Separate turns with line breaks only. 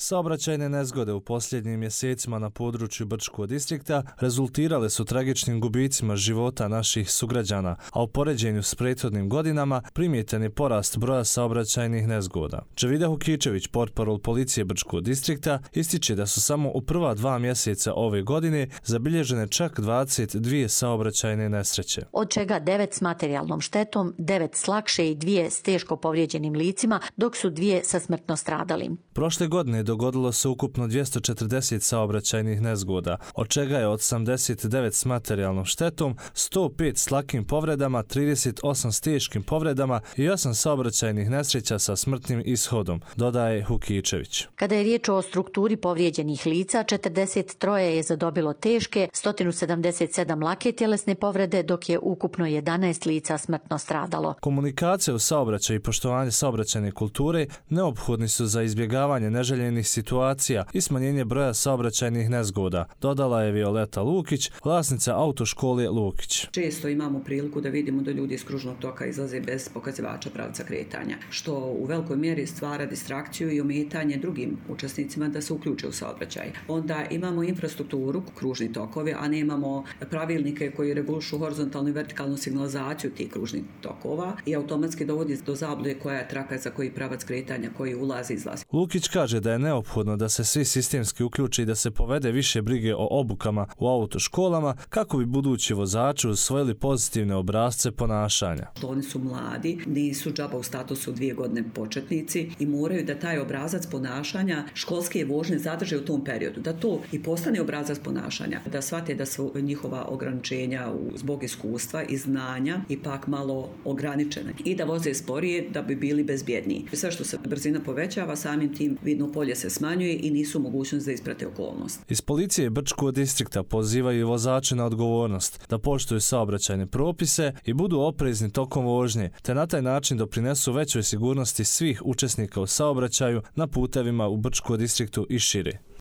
Saobraćajne nezgode u posljednjim mjesecima na području Brčkog distrikta rezultirale su tragičnim gubicima života naših sugrađana, a u poređenju s prethodnim godinama primjetan je porast broja saobraćajnih nezgoda. Džavida Hukičević, portparol policije Brčkog distrikta, ističe da su samo u prva 2 mjeseca ove godine zabilježene čak 22 saobraćajne nesreće.
Od čega 9 s materijalnom štetom, 9 s lakše i 2 s teško povrijeđenim licima, dok su 2 sa smrtno stradalim.
Prošle godine dogodilo se ukupno 240 saobraćajnih nezgoda, od čega je 89 s materijalnom štetom, 105 s lakim povredama, 38 s teškim povredama i 8 saobraćajnih nesreća sa smrtnim ishodom, dodaje Hukičević.
Kada je riječ o strukturi povrijeđenih lica, 43 je zadobilo teške, 177 lake tjelesne povrede, dok je ukupno 11 lica smrtno stradalo.
Komunikacija u saobraćaju i poštovanje saobraćajne kulture neophodni su za izbjegavanje neželjenih situacija i smanjenje broja saobraćajnih nezgoda, dodala je Violeta Lukić, vlasnica autoškole Lukić.
Često imamo priliku da vidimo da ljudi iz kružnog toka izlaze bez pokazivača pravca kretanja, što u velikoj mjeri stvara distrakciju i ometanje drugim učesnicima da se uključe u saobraćaj. Onda imamo infrastrukturu, kružni tokovi, a nemamo pravilnike koji regulišu horizontalnu i vertikalnu signalizaciju tih kružnih tokova i automatski dovodi do zablude koja je traka za koji pravac kretanja, koji ulazi i izlazi.
Lukić kaže da je neophodno da se svi sistemski uključi i da se povede više brige o obukama u autoškolama kako bi budući vozači usvojili pozitivne obrasce ponašanja.
Oni su mladi, nisu džaba u statusu 2 godine početnici i moraju da taj obrazac ponašanja školske vožnje zadrže u tom periodu, da to i postane obrazac ponašanja, da shvate da su njihova ograničenja zbog iskustva i znanja ipak malo ograničene i da voze sporije da bi bili bezbjedniji. Sve što se brzina povećava, samim tim vidno polje se smanjuje i nisu mogućnost da isprate okolnost.
Iz policije Brčkog distrikta pozivaju vozače na odgovornost, da poštuju saobraćajne propise i budu oprezni tokom vožnje, te na taj način doprinesu većoj sigurnosti svih učesnika u saobraćaju na putevima u Brčkom distriktu i šire.